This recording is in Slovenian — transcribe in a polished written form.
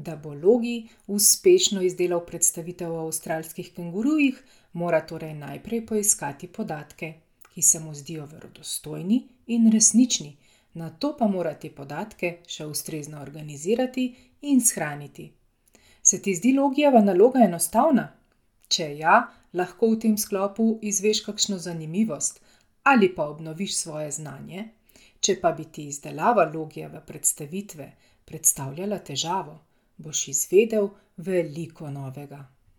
Da bo Logi uspešno izdelal predstavitev o avstralskih kengurujih, mora torej najprej poiskati podatke, ki se mu zdijo verodostojni in resnični, nato pa mora te podatke še ustrezno organizirati in shraniti. Se ti zdi Logijeva naloga enostavna? Če ja, lahko v tem sklopu izveš kakšno zanimivost ali pa obnoviš svoje znanje. Če pa bi ti izdelava Logijeve predstavitve predstavljala težavo, boš izvedel veliko novega.